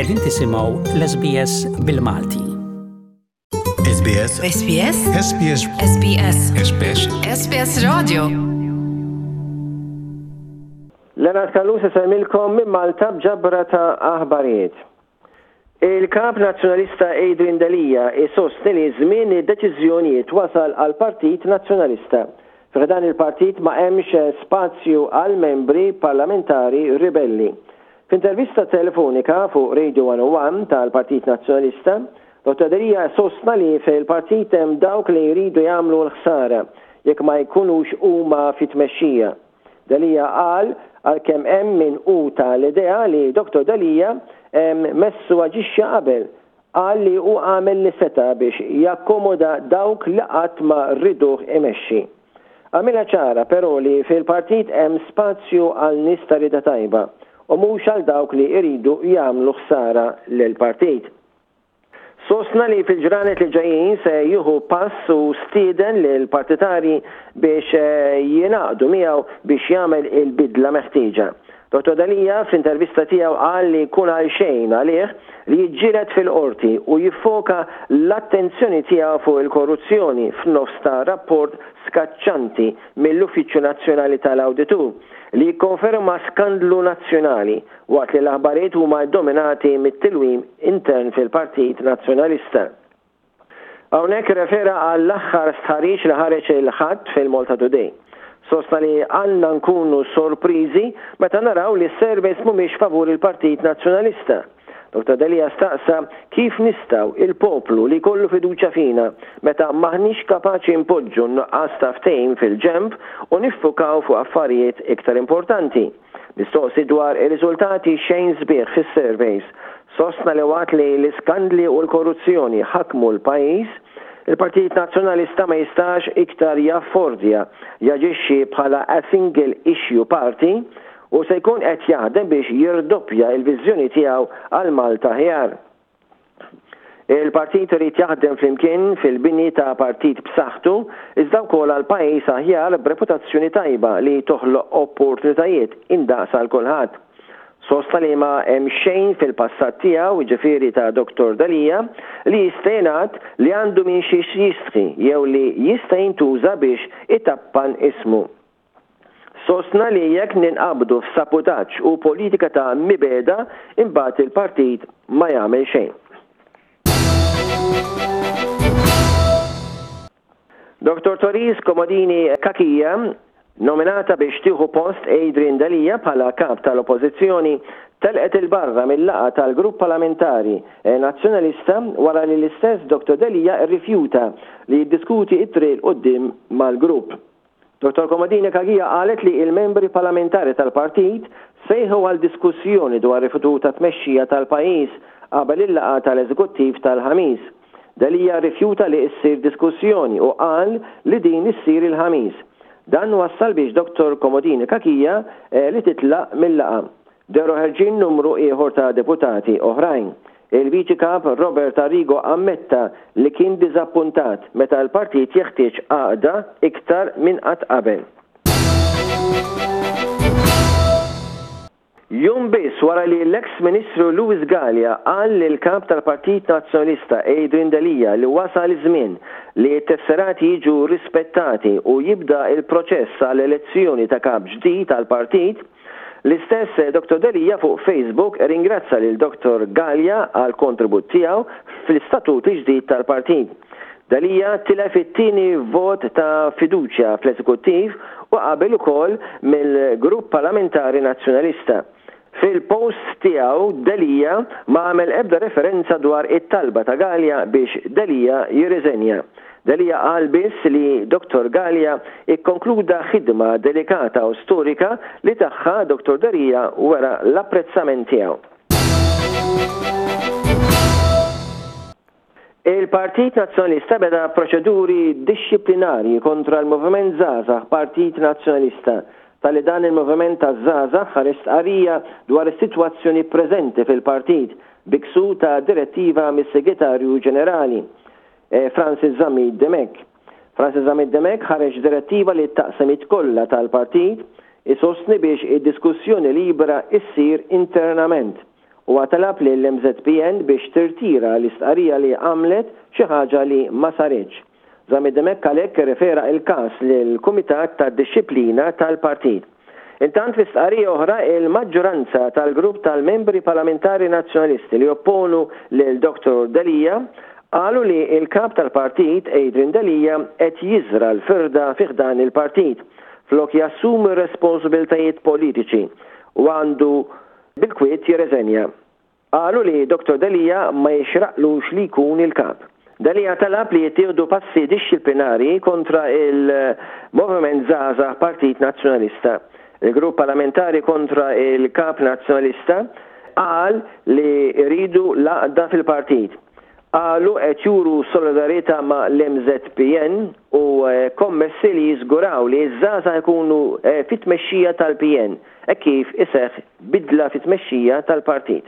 Qegħdin tisimgħu l-SBS bil-Malti. SBS SBS SBS SBS SBS SBS Radio Leonard Callus isellmilkom minn Malta b'ġabra ta' aħbarijiet. Il-Kap Nazzjonalista Adrian Delia isostni li żmien id-deċiżjonijiet wasal għall-Partit Nazzjonalista. Fi ħdan il-partit ma hemmx spazju għal membri parlamentari ribelli. F'intervista telefonika fuq Radio 101 tal-Partit Nazzjonalista, Dottor Delia sostna li fil-partit hemm dawk li jridu jagħmlu l-ħsara jekk ma jkunux huma fit-tmexxija. Delia qal għalkemm hemm min hu ta' l-idea li Dottor Delia messu aġixxa qabel, qal li hu għamel li seta' biex jakkomoda dawk li qatt ma riduh imexxi. Għamilha ċara però li fil-partit hemm spazju għal nies ta' rieda tajba u mhux għal dawk li jridu jagħmlu ħsara lill-partit. Sostna li fil-ġranet li ġejjin se jieħu pass u stieden lill-partitarji biex jingħaqdu miegħu biex jagħmel il-bidla meħtieġa. Dottor Delia fl-intervista tiegħu qal li jkun għalxejn għalih li jiġġieled fil-Qorti u jiffoka l-attenzjoni tiegħu fuq il-korruzzjoni f'nofs ta' rapport skaċċanti mill-Uffiċċju Nazzjonali tal-Awditur li jikkonferma skandlu nazzjonali waqt li l-aħbarijiet huma ddominati mit-tilwim intern fil-Partit Nazzjonalista. Hawnhekk irrefera għall-aħħar stħarriġ li ħareġ il-Ħadd fil-Malta Today. Sostna li għandna nkunu sorpriżi meta naraw li s-surveys mhumiex favur il-Partit Nazzjonalista. Dottor Delia staqsa kif nistgħu il-poplu li jkollu fiduċja fina meta m'aħniex kapaċi npoġġu n-nuqqas ta' ftehim fil-ġenb u niffukaw fuq affarijiet iktar importanti. Mistoqsi dwar ir-riżultati xejn sbieħ fis-surveys, sostna li waqt li l-iskandli u l-korruzzjoni ħakmu l-pajjiż, il-Partit Nazzjonalista ma jistax iktar jaffordja jaġixxi bħala a single issue party u se jkun qed jaħdem biex jirdoppja l-viżjoni tiegħu għal Malta aħjar. Il-partit irid jaħdem flimkien fil-bini ta' partit b'saħħtu iżda wkoll għal pajjiż aħjar b'reputazzjoni tajba li toħloq opportunitajiet indaqs għal kulħadd. Sostna li ma hemm xejn fil-passat tiegħu, jiġifieri ta' Dottor Delia, li jista' jingħad li għandu minn xiex jistħi jew li jista' jintuża biex itappan ismu. Sostna li jekk ninqabdu f'saputaġġ u politika ta' mibegħda imbagħad il-partit ma jagħmel xejn. Dottor Therese Comodini Cachia, nominata biex tieħu post Adrian Delia bħala Kap tal-Oppożizzjoni, telqet 'il barra mil-laqgħa tal-Grupp Parlamentari Nazzjonalista wara li l-istess Dottor Delia rrifjuta li jiddiskuti t-triq 'il quddiem mal-grupp. Dottor Comodini Cachia qalet li il-membri parlamentari tal-partit sejħu għal diskussjoni dwar il-futur tat-tmexxija tal-pajjiż qabel il-laqgħa tal-eżekuttiv tal-Ħamis. Delia rrifjuta li ssir diskussjoni u qal li din issir il-Ħamis. Dan wassal biex Dottor Comodini Cachia li titlaq mil-laqgħa. Dehru ħerġin numru ieħor ta' deputati oħrajn. Il-Viċi Kap Robert Arrigo ammetta li kien diżappuntat meta l-partit jeħtieġ għaqda iktar minn qatt qabel. Jum biss wara li l-eks Ministru Louis Galea qal lill-Kap tal-Partit Nazzjonalista Adrian Delia li wasal iż-żmien li t-tesserati jiġu rispettati u jibda l-proċess għal elezzjoni ta' kap ġdid għall-partit, L-istess Dottor Delia fuq Facebook irringrazza lil Dottor Galea għall-kontribut tiegħu fl-istatut il-ġdid tal-partit. Delia tilef it-tieni vot ta' fiduċja fl-Eżekuttiv u qabel ukoll mill-Grupp Parlamentari Nazzjonalista. Fil-post tiegħu Delia ma għamel ebda referenza dwar it-talba ta' Galea biex Delia jirriżenja. Delia qal biss li Dottor Galea ikkonkluda ħidma delikata u storika li tagħha Dottor Delia wera l-apprezzament tiegħu. Il-Partit Nazzjonalista beda proċeduri dixxiplinarji kontra l-Moviment Żgħażagħ Partit Nazzjonalista talli dan il-moviment taż-żgħażagħ ħareġ stqarrija dwar is-sitwazzjoni preżenti fil-partit bi ksur ta' direttiva mis-Segretarju Ġenerali. Francis Zammit Dimech. Francis Zammit Dimech ħareġ direttiva li t-taqsimiet kollha tal-partit isostni biex id-diskussjoni libera issir internament. Huwa talab lill-MŻPN biex tirtira l-istqarrija li għamlet, xi ħaġa li ma saritx. Zammit Dimech għalhekk irrefera l-każ lill-Kumitat tad-Dixxiplina tal-Partit. Intant fi stqarrija oħra il-maġġoranza tal-grupp tal-Membri Parlamentari Nazzjonalisti li jopponu lil Dottor Delia qalu li l-Kap tal-Partit Adrian Delia qed jiżra' l-firda fi ħdan il-partit flok jassumi r-responsbiltajiet politiċi u għandu bil-kwiet jirreżenja. Qalu li Dottor Delia ma jixraqlux li jkun il-Kap. Delia talab li jittieħdu passi dixxiplinarji kontra il-Moviment Żgħażagħ Partit Nazzjonalista. Il-grupp parlamentari kontra il-Kap Nazzjonalista qal li jridu l-għaqda fil-partit. Qalu qed juru solidarjetà ma' l-MŻPN u kommessi li jiżguraw li ż-żgħażagħ ikunu fit-tmexxija tal-PN. Hekk kif iseħħ bidla fit-tmexxija tal-partit.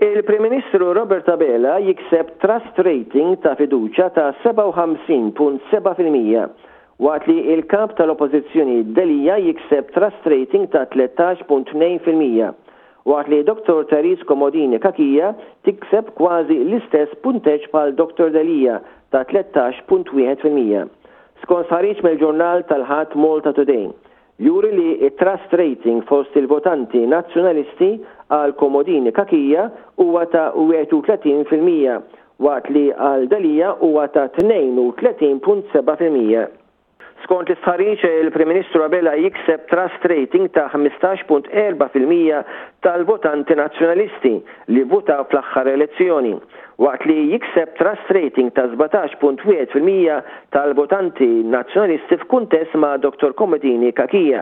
Il-Prim Ministru Robert Abela jikseb trust rating ta' fiduċja ta' 57.7% waqt li l-Kap tal-Oppożizzjoni Delia jikseb trust rating ta' 13.2% waqt li Dottor Therese Comodini Cachia tikseb kważi l-istess punteġġ bħal Dottor Delia ta' 13.1%. Skont stħarriġ mill-ġurnal tal-Ħadd Malta Today, juri li t-trust rating fost il-votanti Nazzjonalisti għal Comodini Cachia huwa ta' 31% waqt li għal Delia huwa ta' 32.7%. Skont l-istħarriġ, il-Prim Ministru Abela jikseb trust rating ta' 15.4% tal-votanti Nazzjonalisti li vvutaw fl-aħħar elezzjoni, waqt li jikseb trust rating ta' 17.1% tal-votanti Nazzjonalisti f'kuntest ma' Dottor Comodini Cachia.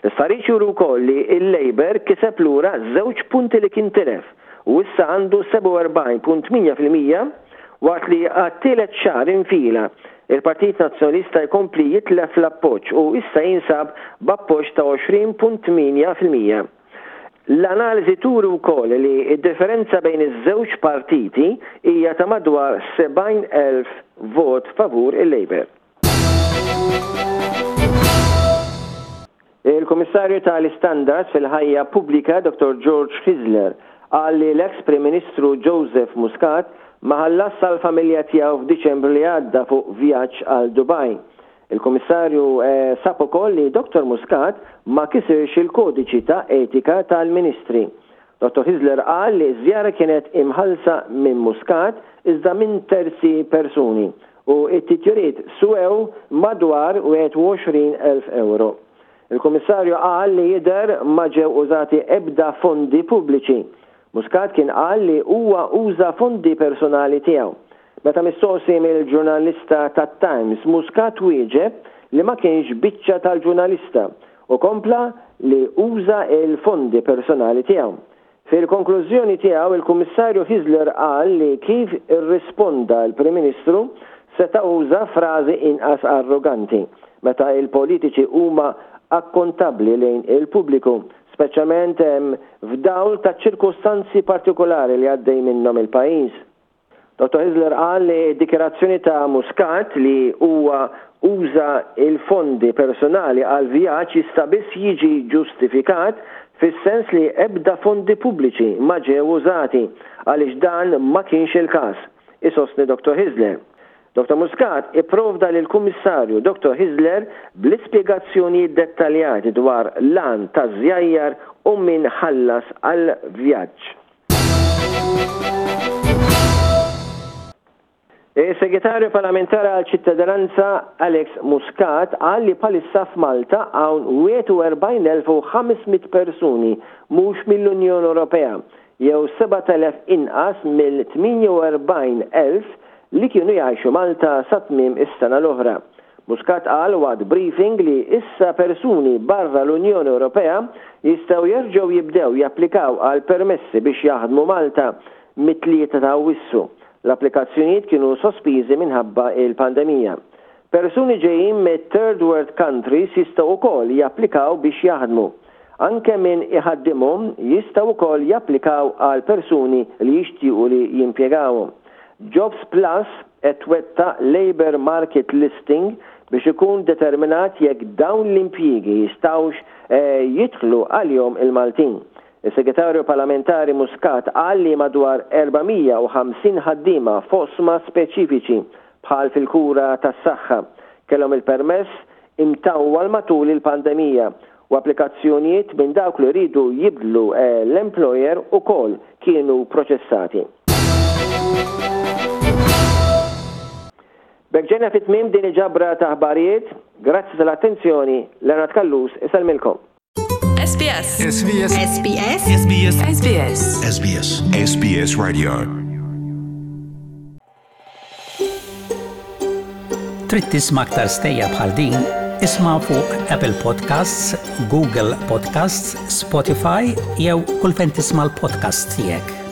L-istħarriġ juri wkoll li l-Labour kiseb lura żewġ punti li kien tilef u issa għandu 47.8% waqt li għat-tielet xahar infila, il-Partit Nazzjonalista jkompli jitlef l-appoġġ u issa jinsab b'appoġġ ta' 20.8%. L-analiżi turi wkoll li d-differenza bejn iż-żewġ partiti hija ta' madwar 70,000 vot favur il-Labour. Il-Kummissarju tal-Istandards fil-Ħajja Pubblika Dottor George Hyzler qal li l-eks Prim Ministru Joseph Muscat ma ħallasx għall-familja tiegħu f'Diċembru li għadda fuq vjaġġ għal Dubai. Il-Kummissarju sab ukoll li Dottor Muscat ma kisirx il-kodiċi ta' etika tal-Ministri. Dottor Hyzler qal li ż-żjara kienet imħallsa minn Muscat iżda minn terzi persuni u t-titjiriet swew madwar 21,000 ewro. Il-Kummissarju qal li jidher ma ġew użati ebda fondi pubbliċi. Muscat kien qal li huwa uża fondi personali tiegħu. Meta mistoqsi mill-ġurnalista tat-Times, Muscat wieġeb li ma kienx biċċa tal-ġurnalista u kompla li uża l-fondi personali tiegħu. Fil-konklużjoni tiegħu, il-Kummissarju Hyzler qal li kif irrisponda l-Prim Ministru seta' uża frażi inqas arroganti, meta l-politiċi huma akkontabbli lejn il-pubbliku, speċjalment f'dawl taċ-ċirkustanzi partikolari li għaddej minnhom il-pajjiż. Dottor Hyzler qal li d-dikjarazzjoni ta' Muscat li huwa uża l-fondi personali għall-vjaġġ jista' biss jiġi ġustifikat fis-sens li ebda fondi pubbliċi ma ġew użati għaliex dan ma kienx il-każ, isostni Dottor Hyzler. Dottor Muscat ipprovda lill-Kummissarju Dottor Hyzler bl-ispjegazzjonijiet dettaljati dwar l-għan taż-żjajjar u min ħallas għall-vjaġġ. Is-Segretarju Parlamentari għal Ċittadinanza Alex Muscat qal li bħalissa f'Malta hawn 41,500 persuni mhux mill-Unjoni Ewropea, jew 7,000 inqas mill-48,000 li kienu jgħixu Malta sa tmiem is-sena l-oħra. Muscat qal waqt briefing li issa persuni barra l-Unjoni Ewropea jistgħu jerġgħu jibdew japplikaw għal permessi biex jaħdmu Malta mit-Tlieta ta' Awwissu. L-applikazzjonijiet kienu sospiżi minħabba il-pandemija. Persuni ġejjin mit-third world countries jistgħu wkoll japplikaw biex jaħdmu. Anke min iħaddimhom jistgħu wkoll japplikaw għal persuni li jixtiequ li jimpjegawhom. Jobs Plus qed twettaq labour market listing biex ikun determinat jekk dawn l-impjiegi jistgħux jidħlu għalihom il-Maltin. Is-Segretarju Parlamentari Muscat qal li madwar 450 ħaddiema f'oqsma speċifiċi bħal fil-kura tas-saħħa kellhom il-permess imtawwal matul il-pandemija u applikazzjonijiet minn dawk li riedu jibdlu l-employer ukoll kienu proċessati. B'hekk ġejna fi tmiem din il-ġabra ta' aħbarijiet. Grazzi tal-attenzjoni, Leonard Callus isellmilkom. SBS. SBS. SBS. SBS. SBS. SBS. SBS Radio. Trid tisma' aktar stejjer bħal din? Isma' fuq Apple Podcasts, Google Podcasts, Spotify jew kull fejn tisma' l-podcasts tiegħek.